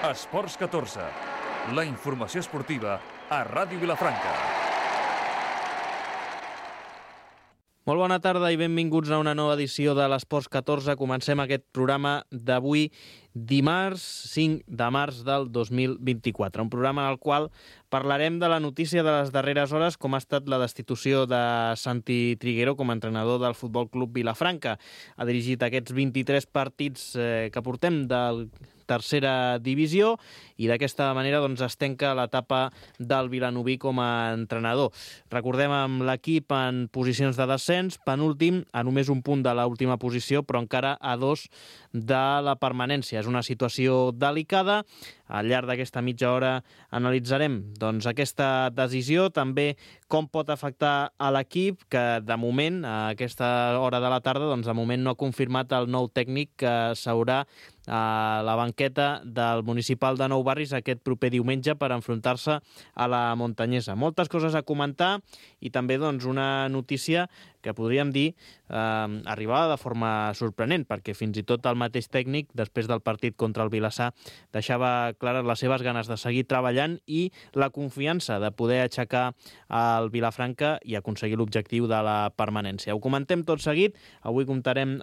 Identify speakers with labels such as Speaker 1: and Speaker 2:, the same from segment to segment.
Speaker 1: Esports 14, la informació esportiva a Ràdio Vilafranca.
Speaker 2: Molt bona tarda i benvinguts a una nova edició de l'Esports 14. Comencem aquest programa d'avui, dimarts 5 de març del 2024. Un programa en el qual parlarem de la notícia de les darreres hores, com ha estat la destitució de Santi Triguero com a entrenador del Futbol Club Vilafranca. Ha dirigit aquests 23 partits que portem del tercera divisió i d'aquesta manera es tanca l'etapa del vilanoví com a entrenador. Recordem amb l'equip en posicions de descens, penúltim, a només un punt de l'última posició, però encara a 2 de la permanència. És una situació delicada. Al llarg d'aquesta mitja hora analitzarem aquesta decisió, també com pot afectar a l'equip, que de moment, a aquesta hora de la tarda, de moment no ha confirmat el nou tècnic que s'haurà a la banqueta del Municipal de Nou Barris aquest proper diumenge per enfrontar-se a la Montanyesa. Moltes coses a comentar i també una notícia que podríem dir arribava de forma sorprenent, perquè fins i tot el mateix tècnic, després del partit contra el Vilassar, deixava clares les seves ganes de seguir treballant i la confiança de poder aixecar el Vilafranca i aconseguir l'objectiu de la permanència. Ho comentem tot seguit. Avui comptarem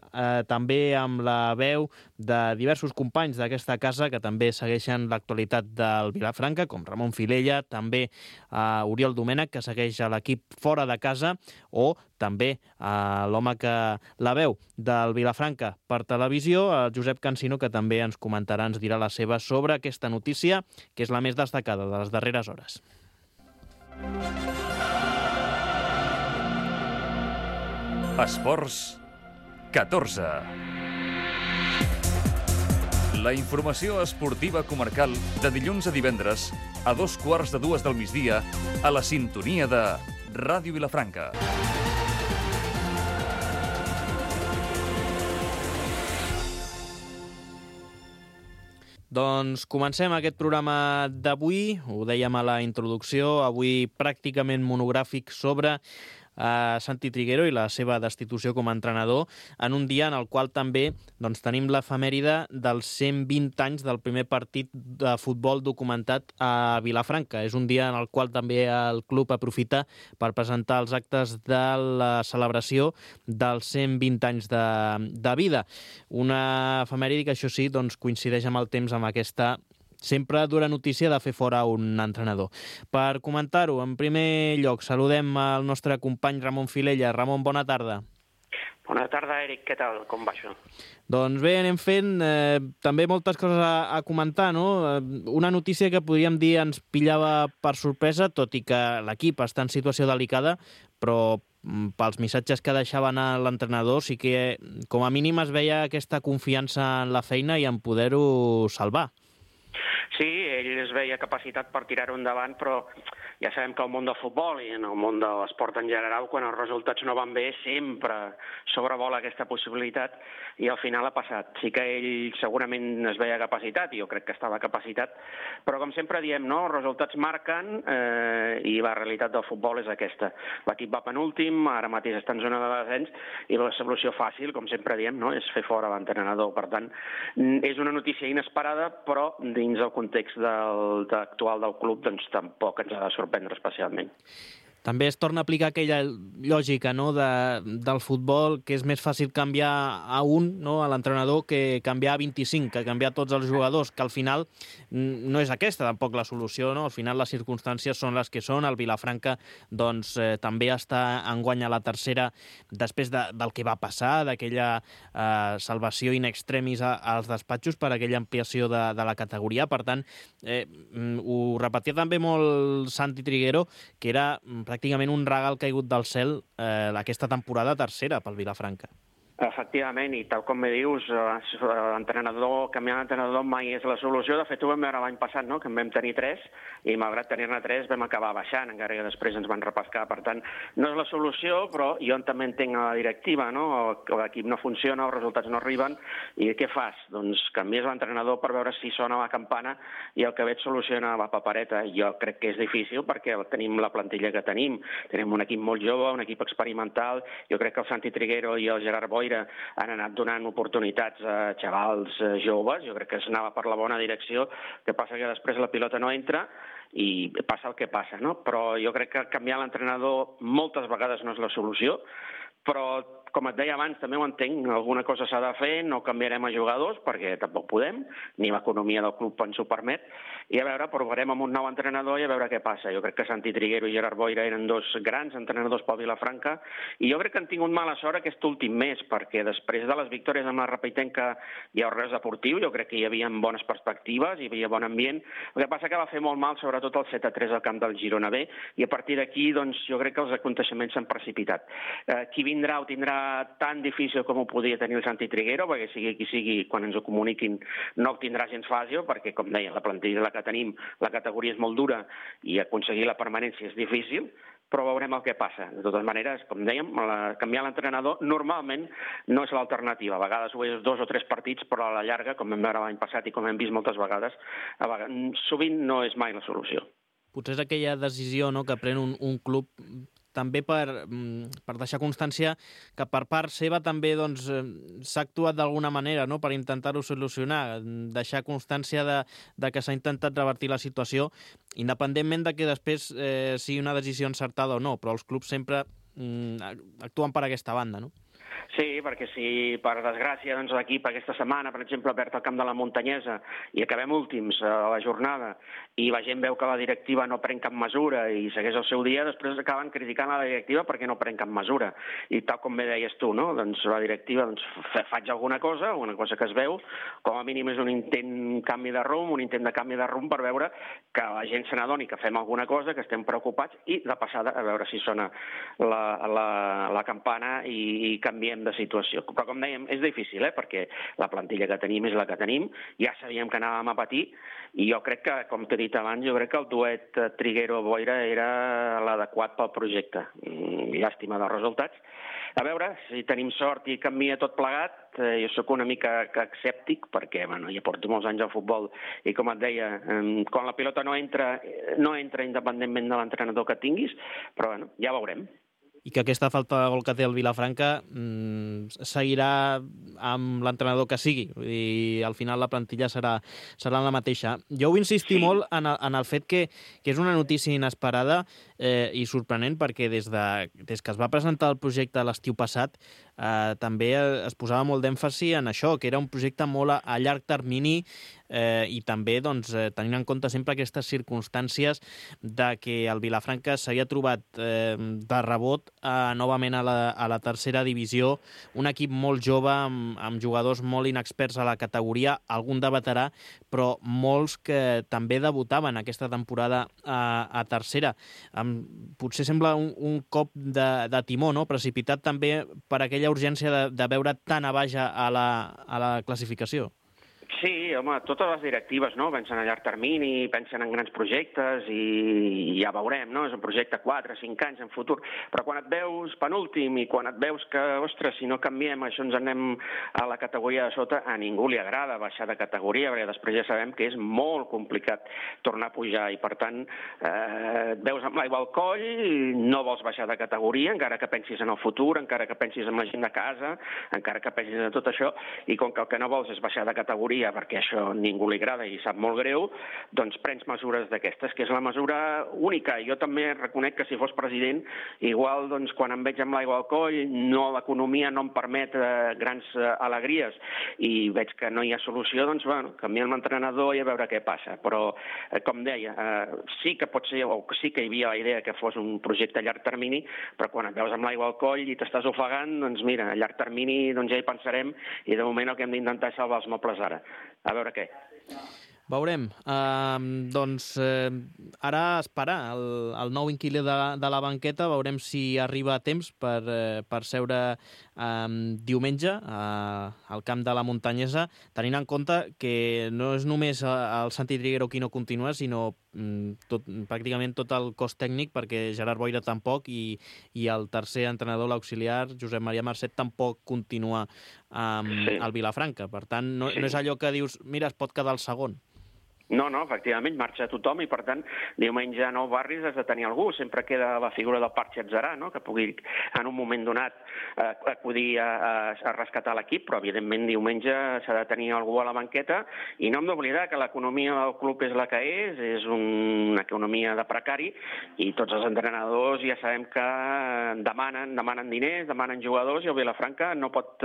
Speaker 2: també amb la veu de diversos companys d'aquesta casa que també segueixen l'actualitat del Vilafranca, com Ramon Filella, també Oriol Domènech, que segueix a l'equip fora de casa, o també l'home que la veu del Vilafranca per televisió, el Josep Cansino, que també ens comentarà, ens dirà la seva sobre aquesta notícia, que és la més destacada de les darreres hores.
Speaker 1: Esports 14. La informació esportiva comarcal de dilluns a divendres a 2:15 del migdia a la sintonia de Ràdio Vilafranca.
Speaker 2: Doncs comencem aquest programa d'avui, ho dèiem a la introducció, avui pràcticament monogràfic sobre Santi Triguero i la seva destitució com a entrenador, en un dia en el qual també tenim l'efemèride dels 120 anys del primer partit de futbol documentat a Vilafranca. És un dia en el qual també el club aprofita per presentar els actes de la celebració dels 120 anys de vida. Una efemèride que, això sí, coincideix amb el temps, amb aquesta sempre dura notícia de fer fora un entrenador. Per comentar-ho, en primer lloc, saludem el nostre company Ramon Filella. Ramon, bona tarda.
Speaker 3: Bona tarda, Eric. Què tal? Com va això?
Speaker 2: Doncs bé, anem fent també moltes coses a comentar, no? Una notícia que podríem dir ens pillava per sorpresa, tot i que l'equip està en situació delicada, però pels missatges que deixava anar l'entrenador sí que com a mínim es veia aquesta confiança en la feina i en poder-ho salvar.
Speaker 3: Sí, ell es veia capacitat per tirar-ho endavant, però ja sabem que el món del futbol i en el món de l'esport en general, quan els resultats no van bé, sempre sobrevola aquesta possibilitat i al final ha passat. Sí que ell segurament es veia capacitat, i jo crec que estava capacitat, però com sempre diem, no? Els resultats marquen i la realitat del futbol és aquesta. L'equip va penúltim, ara mateix està en zona de descens i la solució fàcil, com sempre diem, no? És fer fora l'entrenador. Per tant, és una notícia inesperada, però dins el context actual del club tampoc ens ha de sorprendre especialment.
Speaker 2: També es torna a aplicar aquella lògica, no, del futbol, que és més fàcil canviar a un, no, a l'entrenador, que canviar a 25, que canviar tots els jugadors, que al final no és aquesta tampoc la solució, no? Al final les circumstàncies són les que són. El Vilafranca també està enguany a la tercera després del que va passar, d'aquella salvació in extremis als despatxos per aquella ampliació de la categoria. Per tant, ho repetia també molt Santi Triguero, que era pràcticament un regal caigut del cel aquesta temporada tercera pel Vilafranca.
Speaker 3: Efectivament, i tal com me dius, canviar d'entrenador mai és la solució. De fet, ho vam veure l'any passat, no? Que en vam tenir 3, i malgrat tenir-ne 3 vam acabar baixant, encara que després ens van repescar. Per tant, no és la solució, però jo també entenc la directiva, no? L'equip no funciona, els resultats no arriben, i què fas? Doncs canvies l'entrenador per veure si sona la campana i el que veig soluciona la papereta. Jo crec que és difícil perquè tenim la plantilla que tenim un equip molt jove, un equip experimental. Jo crec que el Santi Triguero i el Gerard Boy Boira han anat donant oportunitats a xavals joves, jo crec que s'anava per la bona direcció, que passa que després la pilota no entra i passa el que passa, no? Però jo crec que canviar l'entrenador moltes vegades no és la solució, però, com et deia abans, també ho entenc, alguna cosa s'ha de fer, no canviarem a jugadors, perquè tampoc podem, ni l'economia del club ens ho permet, i a veure, provarem amb un nou entrenador i a veure què passa. Jo crec que Santi Triguero i Gerard Boira eren dos grans entrenadors pel Vilafranca, i jo crec que han tingut mala sort aquest últim mes, perquè després de les victòries amb la Repeitenca i el Reus Deportiu, jo crec que hi havia bones perspectives, hi havia bon ambient, el que passa que va fer molt mal, sobretot el 7-3 al camp del Girona B, i a partir d'aquí, doncs, jo crec que els aconteixements s'han precipitat. Qui vindrà ho tindrà tan difícil com ho podia tenir el Santi Triguero, perquè sigui qui sigui, quan ens ho comuniquin, no ho tindrà gens fàcil, perquè, com deia, la plantilla que tenim, la categoria és molt dura i aconseguir la permanència és difícil, però veurem el que passa. De totes maneres, com dèiem, canviar l'entrenador normalment no és l'alternativa. A vegades ho és 2 o 3 partits, però a la llarga, com vam veure l'any passat i com hem vist moltes vegades, sovint no és mai la solució.
Speaker 2: Potser és aquella decisió, no?, que pren un club també per deixar constància que per part seva també s'ha actuat d'alguna manera, no?, per intentar-ho solucionar, deixar constància de que s'ha intentat revertir la situació, independentment de que després sigui una decisió encertada o no, però els clubs sempre actuen per aquesta banda, no?
Speaker 3: Sí, perquè si, per desgràcia, doncs, l'equip aquesta setmana, per exemple, perd el camp de la Muntanyesa i acabem últims a la jornada i la gent veu que la directiva no pren cap mesura i segueix el seu dia, després acaben criticant la directiva perquè no pren cap mesura. I tal com bé deies tu, no? Doncs la directiva faig alguna cosa que es veu, com a mínim és un intent canvi de rumb, un intent de canvi de rumb per veure que la gent se n'adoni que fem alguna cosa, que estem preocupats i, de passada, a veure si sona la campana i canviem de situació. Però, com dèiem, és difícil, perquè la plantilla que tenim és la que tenim, ja sabíem que anàvem a patir, i jo crec que, com t'he dit abans, jo crec que el duet Triguero-Boira era l'adequat pel projecte. Llàstima dels resultats. A veure, si tenim sort i canvia tot plegat, jo sóc una mica escèptic, perquè ja porto molts anys al futbol, i com et deia, quan la pilota no entra independentment de l'entrenador que tinguis, però ja veurem.
Speaker 2: I que aquesta falta de gol que té el Vilafranca seguirà amb l'entrenador que sigui. Vull dir, al final la plantilla serà la mateixa. Jo vull insistir molt en el fet que és una notícia inesperada i sorprenent, perquè des que es va presentar el projecte l'estiu passat també es posava molt d'èmfasi en això, que era un projecte molt a llarg termini i també tenint en compte sempre aquestes circumstàncies de que el Vilafranca s'havia trobat de rebot novament a la tercera divisió, un equip molt jove amb jugadors molt inexperts a la categoria, algun de veterà, però molts que també debutaven aquesta temporada a tercera. Potser sembla un cop de timó, no?, precipitat també per aquella urgència de veure tan a baix a la classificació.
Speaker 3: Sí, home, totes les directives, no?, pensen a llarg termini, pensen en grans projectes i ja veurem, no?, és un projecte 4, 5 anys en futur, però quan et veus penúltim i quan et veus que, ostres, si no canviem això ens anem a la categoria de sota, a ningú li agrada baixar de categoria, perquè després ja sabem que és molt complicat tornar a pujar i, per tant, et veus amb l'aigua al coll, no vols baixar de categoria, encara que pensis en el futur, encara que pensis en la gent de casa, encara que pensis en tot això, i com que el que no vols és baixar de categoria perquè això a ningú li agrada i sap molt greu, doncs prens mesures d'aquestes, que és la mesura única. Jo també reconec que si fos president, igual quan em veig amb l'aigua al coll, l'economia no em permet grans alegries i veig que no hi ha solució, doncs canviem l'entrenador i a veure què passa. Però, com deia, sí que pot ser, o sí que hi havia la idea que fos un projecte a llarg termini, però quan et veus amb l'aigua al coll i t'estàs ofegant, doncs mira, a llarg termini ja hi pensarem i de moment el que hem d'intentar és salvar els mobles ara. A veure què.
Speaker 2: Veurem. Ara esperar el nou inquilí de la banqueta, veurem si arriba a temps per seure diumenge al camp de la Muntanyesa, tenint en compte que no és només el Santi Triguero qui no continua, sinó pràcticament tot el cos tècnic, perquè Gerard Boira tampoc i el tercer entrenador, l'auxiliar, Josep Maria Marcet, tampoc continua al Vilafranca. Per tant, no és allò que dius, mira, es pot quedar el segon.
Speaker 3: No, efectivament, marxa tothom i, per tant, diumenge a Nou Barris has de tenir algú. Sempre queda la figura del Parc Xatzarà, no?, que pugui, en un moment donat, acudir a rescatar l'equip, però, evidentment, diumenge s'ha de tenir algú a la banqueta. I no hem d'oblidar que l'economia del club és la que és una economia de precari, i tots els entrenadors ja sabem que demanen diners, demanen jugadors, i el Vilafranca no pot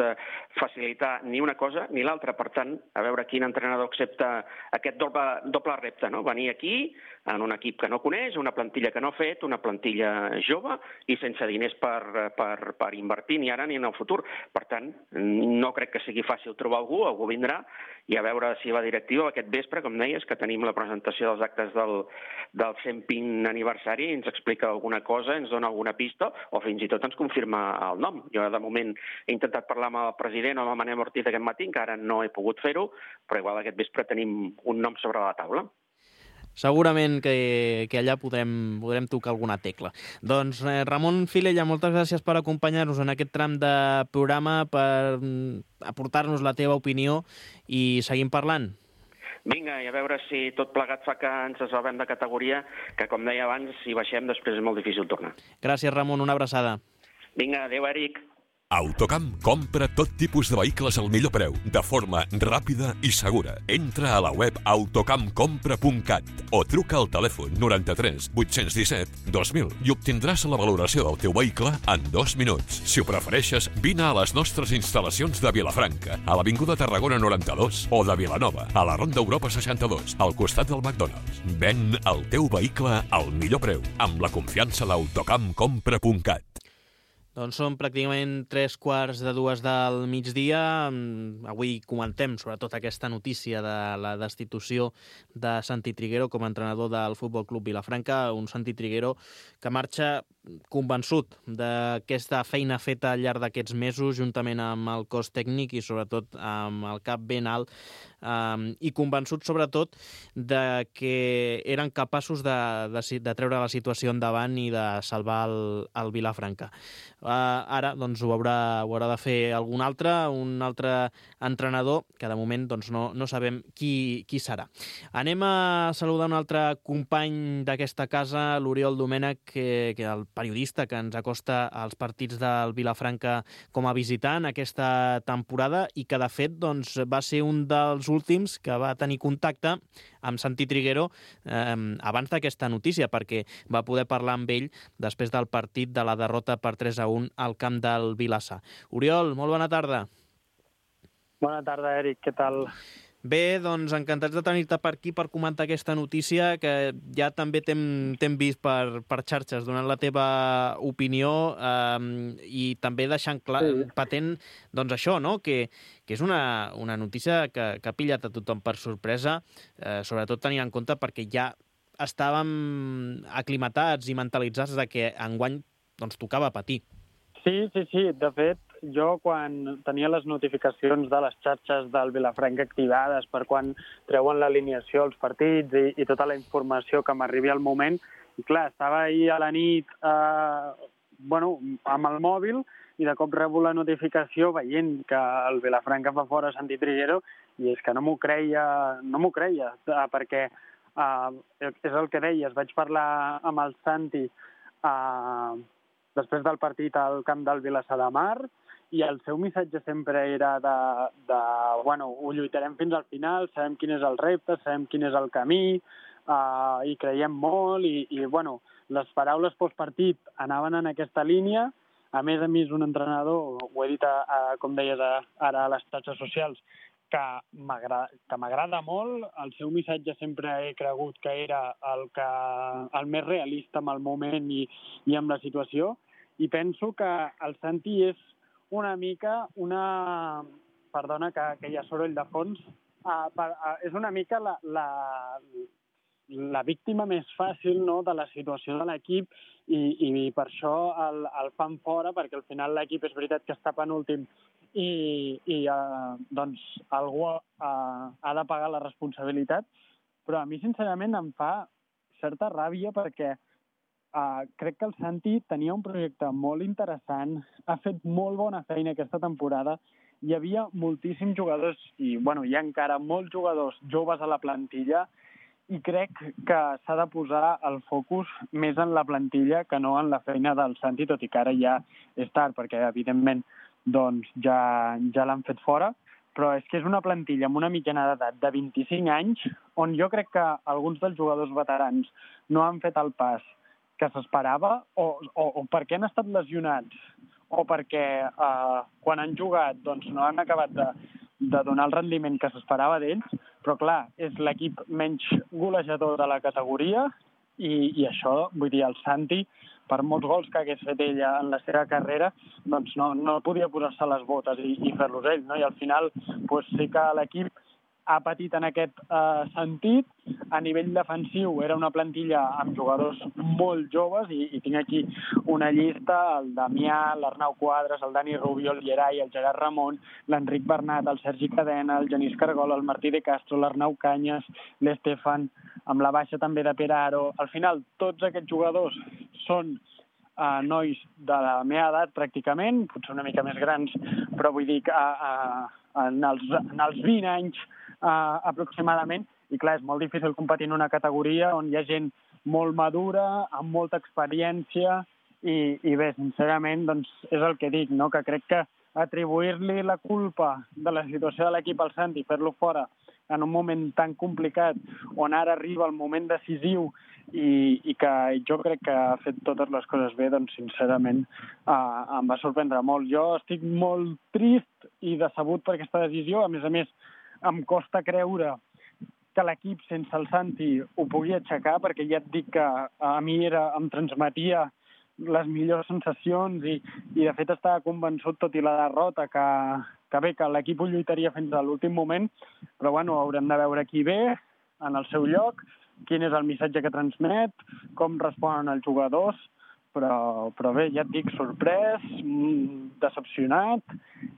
Speaker 3: facilitar ni una cosa ni l'altra. Per tant, a veure quin entrenador accepta aquest doble repte, no? Venir aquí en un equip que no coneix, una plantilla que no ha fet, una plantilla jove i sense diners per invertir ni ara ni en el futur. Per tant, no crec que sigui fàcil trobar algú vindrà, i a veure si la directiva aquest vespre, com deies, que tenim la presentació dels actes del 120 aniversari, ens explica alguna cosa, ens dona alguna pista o fins i tot ens confirma el nom. Jo, de moment, he intentat parlar amb el president o amb el Manel Ortiz aquest matí, encara no he pogut fer-ho, però igual aquest vespre tenim un nom sobre la taula.
Speaker 2: Segurament que allà podrem tocar alguna tecla. Doncs Ramon Filella, moltes gràcies per acompanyar-nos en aquest tram de programa, per aportar-nos la teva opinió i seguim parlant.
Speaker 3: Vinga, i a veure si tot plegat fa que ens salvem de categoria, que, com deia abans, si baixem després és molt difícil tornar.
Speaker 2: Gràcies, Ramon, una abraçada.
Speaker 3: Vinga, adéu, Eric.
Speaker 4: Autocamp compra tot tipus de vehicles al millor preu, de forma ràpida i segura. Entra a la web autocampcompra.cat o truca al telèfon 93 817 2000 i obtindràs la valoració del teu vehicle en 2 minuts. Si ho prefereixes, vine a les nostres instal·lacions de Vilafranca, a l'Avinguda Tarragona 92, o de Vilanova, a la Ronda Europa 62, al costat del McDonald's. Ven el teu vehicle al millor preu, amb la confiança d'autocampcompra.cat.
Speaker 2: Doncs són pràcticament 3:45 del migdia. Avui comentem sobretot aquesta notícia de la destitució de Santi Triguero com a entrenador del Futbol Club Vilafranca, un Santi Triguero que marxa convençut d'aquesta feina feta al llarg d'aquests mesos, juntament amb el cos tècnic i sobretot amb el cap ben alt, i convençut sobretot de que eren capaços de treure la situació endavant i de salvar el Vilafranca. Ara doncs, ho haurà de fer un altre entrenador, que de moment doncs, no sabem qui serà. Anem a saludar un altre company d'aquesta casa, l'Oriol Domènech, que el periodista que ens acosta als partits del Vilafranca com a visitant aquesta temporada i que de fet doncs, va ser un dels últims que va tenir contacte amb Santi Triguero abans d'aquesta notícia, perquè va poder parlar amb ell després del partit de la derrota per 3-1 al camp del Vilassar. Oriol, molt bona tarda.
Speaker 5: Bona tarda, Eric, què tal?
Speaker 2: Bé, doncs encantats de tenir-te per aquí per comentar aquesta notícia, que ja també t'hem vist per xarxes donant la teva opinió i també deixant clar, patent doncs això, no? Que és una notícia que ha pillat a tothom per sorpresa, sobretot tenint en compte perquè ja estàvem aclimatats i mentalitzats de que enguany doncs, tocava patir.
Speaker 5: Sí. De fet, jo quan tenia les notificacions de les xarxes del Vilafranca activades per quan treuen l'alineació als partits i tota la informació que m'arribi al moment, i clar, estava ahir a la nit amb el mòbil i de cop rebo la notificació veient que el Vilafranca fa fora Santi Triguero i és que no m'ho creia, perquè és el que deies, vaig parlar amb el Santi després del partit al camp del Vilassar de Mar, i el seu missatge sempre era ho lluitarem fins al final, sabem quin és el repte, sabem quin és el camí, i creiem molt, i les paraules postpartit anaven en aquesta línia. A més, un entrenador, ho he dit, com deies ara a les xarxes socials, que m'agrada molt. El seu missatge sempre he cregut que era el més realista amb el moment i amb la situació, i penso que el Santi és una mica perdona que hi ha soroll de fons, és una mica la víctima més fàcil, no?, de la situació de l'equip, i per això el fan fora, perquè al final l'equip és veritat que està penúltim i algú ha de pagar la responsabilitat, però a mi sincerament em fa certa ràbia perquè crec que el Santi tenia un projecte molt interessant, ha fet molt bona feina aquesta temporada, hi havia moltíssims jugadors i hi ha encara molts jugadors joves a la plantilla i crec que s'ha de posar el focus més en la plantilla que no en la feina del Santi, tot i que ara ja és tard, perquè evidentment doncs, ja l'han fet fora, però és que és una plantilla amb una mitjana d'edat de 25 anys, on jo crec que alguns dels jugadors veterans no han fet el pas que s'esperava, o perquè han estat lesionats, o perquè quan han jugat doncs, no han acabat de donar el rendiment que s'esperava d'ells, però clar, és l'equip menys golejador de la categoria i això, vull dir, el Santi, per molts gols que hagués fet ella en la seva carrera, doncs no podia posar-se les botes i fer-los ell, no? I al final doncs sí que l'equip ha patit en aquest sentit. A nivell defensiu era una plantilla amb jugadors molt joves i tinc aquí una llista, el Damià, l'Arnau Quadres, el Dani Rubio, el Gerai, el Gerard Ramon, l'Enric Bernat, el Sergi Cadena, el Genís Cargol, el Martí de Castro, l'Arnau Canyes, l'Estefan, amb la baixa també de Pere Aro. Al final, tots aquests jugadors són nois de la meva edat pràcticament, potser una mica més grans, però vull dir que en els 20 anys aproximadament, i clar, és molt difícil competir en una categoria on hi ha gent molt madura, amb molta experiència, i bé, sincerament, doncs és el que dic, no? Que crec que atribuir-li la culpa de la situació de l'equip al Santi, fer-lo fora en un moment tan complicat, on ara arriba el moment decisiu i que jo crec que ha fet totes les coses bé, doncs sincerament em va sorprendre molt. Jo estic molt trist i decebut per aquesta decisió. A més, em costa creure que l'equip sense el Santi ho pugui aixecar, perquè ja et dic que a mi em transmetia les millors sensacions i de fet estava convençut, tot i la derrota, que bé, que l'equip ho lluitaria fins a l'últim moment, però bueno, haurem de veure qui ve en el seu lloc, quin és el missatge que transmet, com responen els jugadors, però bé, ja et dic, sorprès, decepcionat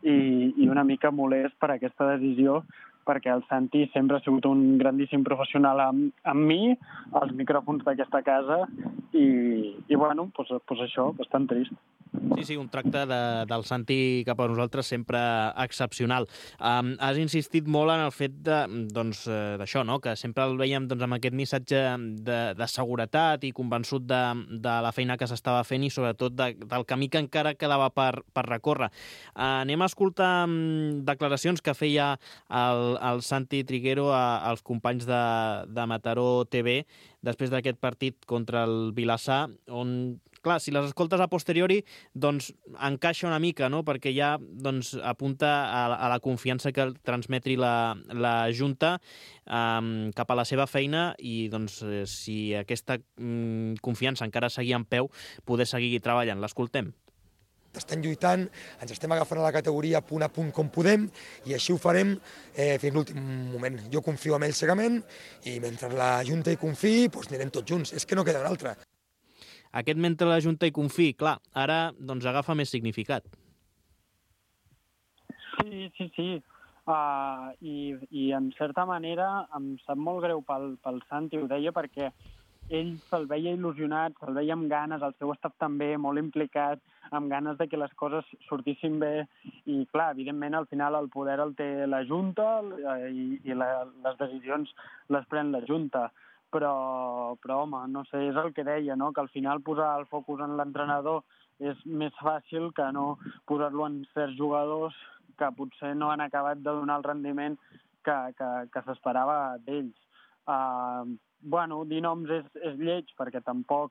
Speaker 5: i una mica molest per aquesta decisió, perquè el Santi sempre ha sigut un grandíssim professional amb mi, als micròfons d'aquesta casa, i bueno, doncs això, bastant trist.
Speaker 2: Sí, un tracte del Santi cap a nosaltres sempre excepcional. Has insistit molt en el fet d'això, no? Que sempre el veiem amb aquest missatge de seguretat i convençut de la feina que s'estava fent i sobretot del camí que encara quedava per recórrer. Anem a escoltar declaracions que feia el Santi Triguero als companys de Mataró TV després d'aquest partit contra el Vilassar, on, clar, si les escoltes a posteriori, doncs encaixa una mica, no? Perquè ja apunta a la confiança que transmetri la Junta cap a la seva feina i si aquesta confiança encara seguia en peu, poder seguir treballant. L'escoltem.
Speaker 6: Estem lluitant, ens estem agafant a la categoria punt a punt com podem i així ho farem fins l'últim moment. Jo confio en ell cegament i mentre la Junta hi confiï, doncs anirem tots junts. És que no queda un altre.
Speaker 2: Aquest mentre la Junta hi confiï, clar, ara agafa més significat.
Speaker 5: Sí. I en certa manera em sap molt greu pel Santi, ho deia, perquè ell se'l veia il·lusionat, se'l veia amb ganes, el seu estat també molt implicat, amb ganes de que les coses sortissin bé i, clar, evidentment, al final el poder el té la Junta i les decisions les pren la Junta. Però home, no sé, és el que deia, no? Que al final posar el focus en l'entrenador és més fàcil que no posar-lo en certs jugadors que potser no han acabat de donar el rendiment que s'esperava d'ells. Dir noms és lleig, perquè tampoc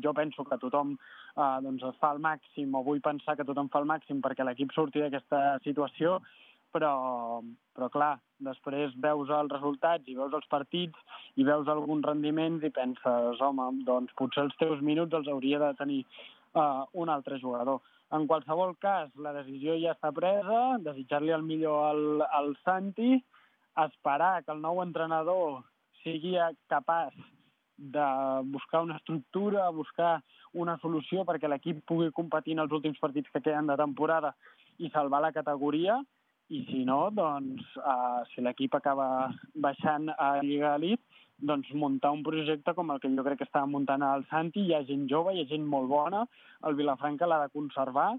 Speaker 5: jo penso que tothom es fa el màxim, o vull pensar que tothom fa el màxim perquè l'equip surti d'aquesta situació, però clar, després veus els resultats i veus els partits i veus alguns rendiments i penses, home, doncs potser els teus minuts els hauria de tenir un altre jugador. En qualsevol cas, la decisió ja està presa, desitjar-li el millor al Santi, esperar que el nou entrenador sigui capaç de buscar una estructura, buscar una solució perquè l'equip pugui competir en els últims partits que queden de temporada i salvar la categoria, i si no, doncs, si l'equip acaba baixant a Lliga Elite, doncs muntar un projecte com el que jo crec que estava muntant el Santi. Hi ha gent jove, hi ha gent molt bona, el Vilafranca l'ha de conservar,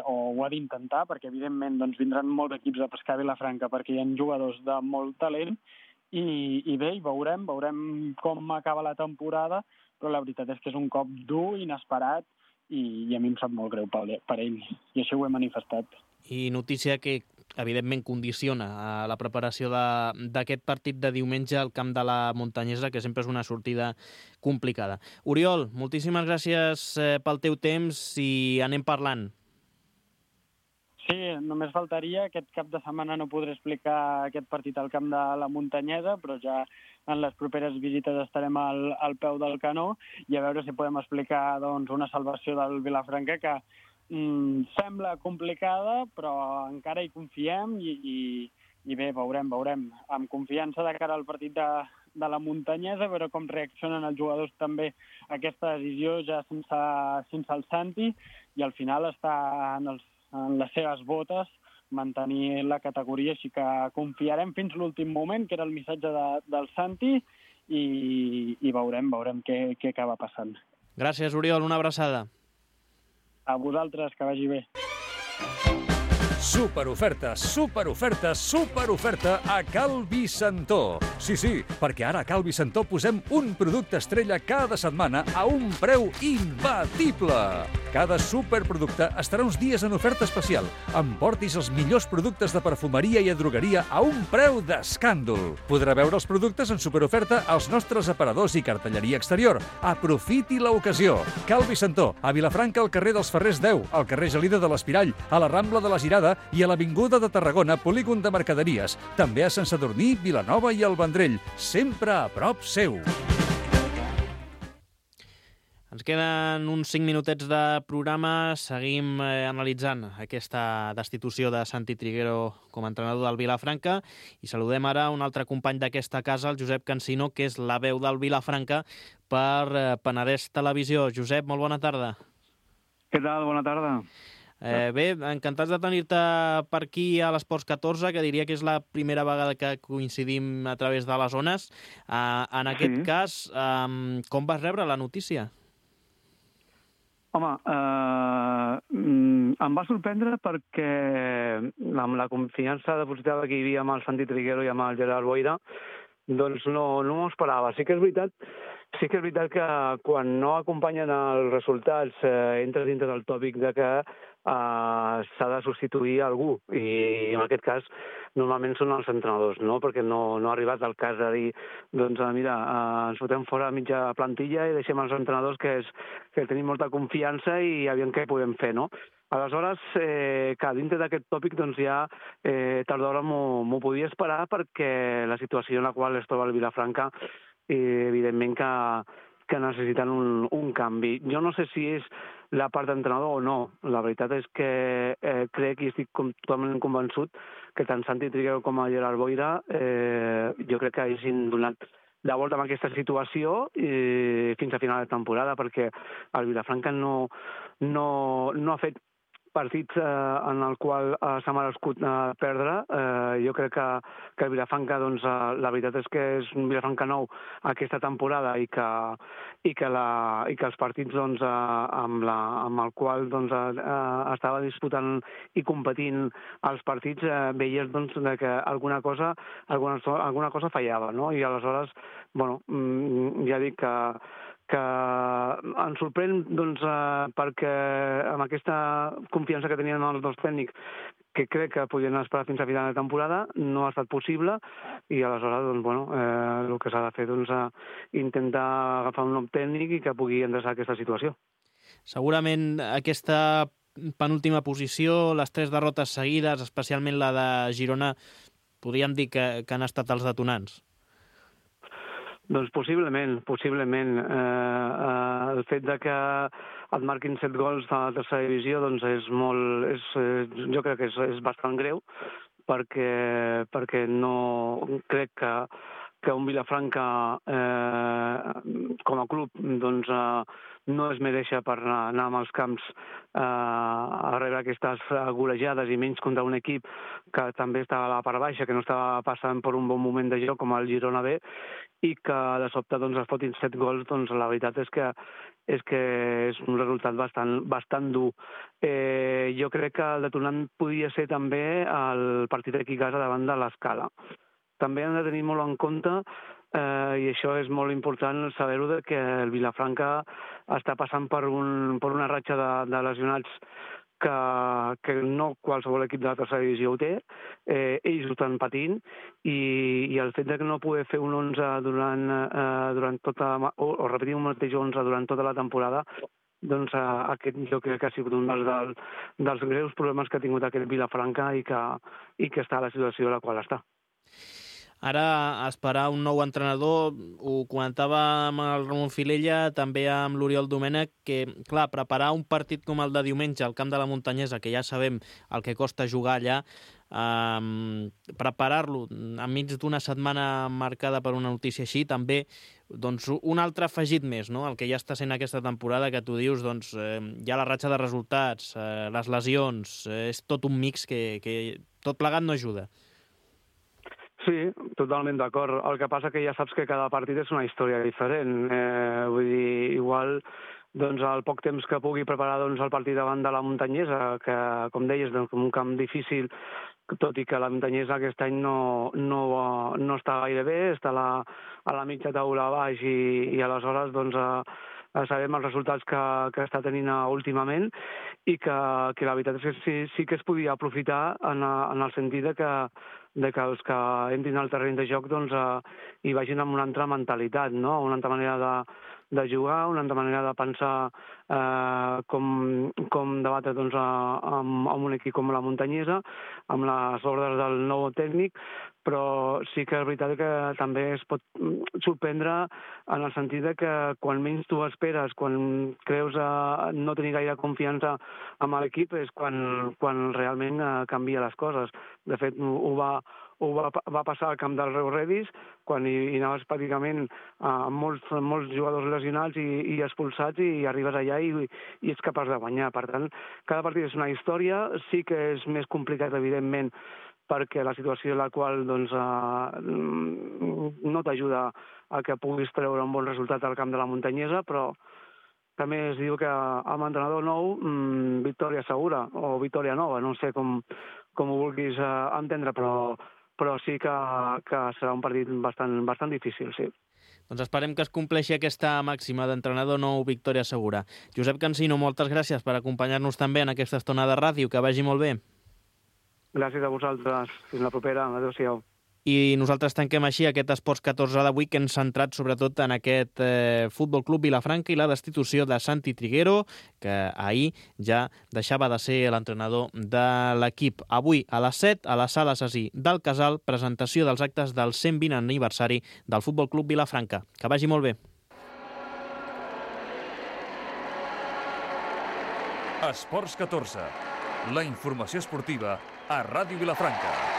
Speaker 5: o ho ha d'intentar, perquè evidentment vindran molts equips a pescar a Vilafranca, perquè hi ha jugadors de molt talent, i bé, veurem com acaba la temporada, però la veritat és que és un cop dur, inesperat, i a mi em sap molt greu per ell, i això ho he manifestat.
Speaker 2: I notícia que evidentment condiciona la preparació d'aquest partit de diumenge al camp de la Muntanyesa, que sempre és una sortida complicada. Oriol, moltíssimes gràcies pel teu temps i anem parlant.
Speaker 5: Sí, només faltaria, aquest cap de setmana no podré explicar aquest partit al camp de la Muntanyesa, però ja en les properes visites estarem al peu del canó i a veure si podem explicar doncs, una salvació del Vilafranca que sembla complicada, però encara hi confiem i bé, veurem. Amb confiança de cara al partit de la Muntanyesa, a veure com reaccionen els jugadors també a aquesta decisió ja sense el Santi, i al final està en les seves botes mantenir la categoria, així que confiarem fins l'últim moment, que era el missatge del Santi, i veurem què acaba passant.
Speaker 2: Gràcies, Oriol, una abraçada.
Speaker 5: A vosaltres, que vagi bé.
Speaker 1: Superoferta a Cal Vicentó. Sí, perquè ara a Cal Vicentó posem un producte estrella cada setmana a un preu imbatible. Cada superproducte estarà uns dies en oferta especial. Emportis els millors productes de perfumeria i drogueria a un preu d'escàndol. Podrà veure els productes en superoferta als nostres aparadors i cartelleria exterior. Aprofiti l'ocasió. Cal Vicentó, a Vilafranca, al carrer dels Ferrers 10, al carrer Gelida de l'Espirall, a la Rambla de la Girada i a l'Avinguda de Tarragona, polígon de mercaderies. També a Sant Sadurní, Vilanova i el Vendrell. Sempre a prop seu.
Speaker 2: Ens queden uns 5 minutets de programa. Seguim analitzant aquesta destitució de Santi Triguero com a entrenador del Vilafranca i saludem ara un altre company d'aquesta casa, el Josep Cansino, que és la veu del Vilafranca per Penedès Televisió. Josep, molt bona tarda.
Speaker 7: Què tal? Bona tarda.
Speaker 2: Bé, encantats de tenir-te per aquí a l'Esports 14, que diria que és la primera vegada que coincidim a través de les ones. En aquest cas, com vas rebre la notícia?
Speaker 7: Home, em va sorprendre perquè amb la confiança depositada que hi havia amb el Santi Triguero i amb el Gerard Boira, doncs no m'ho esperava. Sí que és veritat que quan no acompanyen els resultats entres dintre del tòpic de que s'ha de substituir algú, i en aquest cas normalment són els entrenadors, no? Perquè no ha arribat el cas de dir doncs mira, ens fotem fora mitja plantilla i deixem els entrenadors que tenim molta confiança i aviam què podem fer, no? Aleshores, que dintre d'aquest tòpic doncs ja tard d'hora m'ho podia esperar, perquè la situació en la qual es troba el Vilafranca evidentment que necessiten un canvi. Jo no sé si és la part d'entrenador o no. La veritat és que crec i estic totalment convençut que tant Santi Triguero com a Gerard Boira jo crec que hagin donat la volta amb aquesta situació fins a final de temporada, perquè el Vilafranca no ha fet partits en el qual s'ha merescut perdre. Jo crec que el Vilafranca, doncs, la veritat és que és un Vilafranca nou aquesta temporada i que els partits doncs, amb el qual doncs, estava disputant i competint els partits, veies doncs, que alguna cosa fallava, no? I aleshores, bueno, ja dic que ens sorprèn doncs, perquè amb aquesta confiança que tenien els dos tècnics, que crec que podien esperar fins a final de temporada, no ha estat possible, i aleshores doncs, bueno, el que s'ha de fer doncs, intentar agafar un nou tècnic i que pugui endreçar aquesta situació.
Speaker 2: Segurament aquesta penúltima posició, les 3 derrotes seguides, especialment la de Girona, podríem dir que han estat els detonants.
Speaker 7: Doncs possiblement. El fet de que et marquin 7 gols a la tercera divisió doncs jo crec que és bastant greu, perquè no crec que un Vilafranca com a club doncs, no es mereix per anar amb els camps a rebre aquestes golejades, i menys contra un equip que també estava a la part baixa, que no estava passant per un bon moment de joc com el Girona B, i que de sobte doncs, es fotin 7 gols, doncs la veritat és que és un resultat bastant dur. Jo crec que el detonant podia ser també el partit aquí a casa davant de l'Escala. també hem de tenir molt en compte, i això és molt important saber-ho, que el Vilafranca està passant per una ratxa de lesionats que no qualsevol equip de la tercera divisió ho té, ells ho estan patint, i el fet de que no poder fer un 11 durant tota, o repetir un mateix 11 durant tota la temporada, doncs aquest jo crec que ha sigut un dels greus problemes que ha tingut aquest Vilafranca i que està a la situació a la qual està.
Speaker 2: Ara, esperar un nou entrenador, ho comentava amb el Ramon Filella, també amb l'Oriol Domènech, que, clar, preparar un partit com el de diumenge al camp de la Muntanyesa, que ja sabem el que costa jugar allà, preparar-lo enmig d'una setmana marcada per una notícia així, també doncs, un altre afegit més, no? El que ja està sent aquesta temporada, que tu dius, doncs, hi ha la ratxa de resultats, les lesions, és tot un mix que tot plegat no ajuda.
Speaker 7: Sí, totalment d'acord. El que passa que ja saps que cada partit és una història diferent. Vull dir, igual doncs, el poc temps que pugui preparar doncs, el partit davant de la Muntanyesa, que, com deies, doncs, un camp difícil, tot i que la Muntanyesa aquest any no està gaire bé, està a la mitja taula a baix i aleshores doncs, sabem els resultats que està tenint últimament i que la veritat és que sí que es podia aprofitar en el sentit de que els que entrin al terreny de joc doncs, hi vagin amb una altra mentalitat, no? Una altra manera de jugar, una altra manera de pensar com debatre doncs, amb un equip com la Muntanyesa, amb les ordres del nou tècnic, però sí que és veritat que també es pot sorprendre en el sentit de que quan menys tu esperes, quan creus no tenir gaire confiança amb l'equip, és quan realment canvia les coses. De fet, ho va passar al camp del Reus Redis, quan hi anaves pràcticament molts jugadors lesionats i expulsats, i arribes allà i ets capaç de guanyar. Per tant, cada partit és una història, sí que és més complicat, evidentment, perquè la situació en la qual doncs, no t'ajuda a que puguis treure un bon resultat al camp de la Muntanyesa, però també es diu que amb entrenador nou, victòria segura, o victòria nova, no sé com ho vulguis entendre, però sí que serà un partit bastant difícil, sí.
Speaker 2: Doncs esperem que es compleixi aquesta màxima d'entrenador nou, victòria segura. Josep Cansino, moltes gràcies per acompanyar-nos també en aquesta estona de ràdio. Que vagi molt bé.
Speaker 7: Gràcies a vosaltres. Fins la propera. Adéu-siau.
Speaker 2: I nosaltres tanquem així aquest Esports 14 d'avui, que hem centrat sobretot en aquest Futbol Club Vilafranca i la destitució de Santi Triguero, que ahir ja deixava de ser l'entrenador de l'equip. Avui a les 7, a la Sala Cesí del Casal, presentació dels actes del 120 aniversari del Futbol Club Vilafranca. Que vagi molt bé.
Speaker 1: Esports 14, la informació esportiva a Ràdio Vilafranca.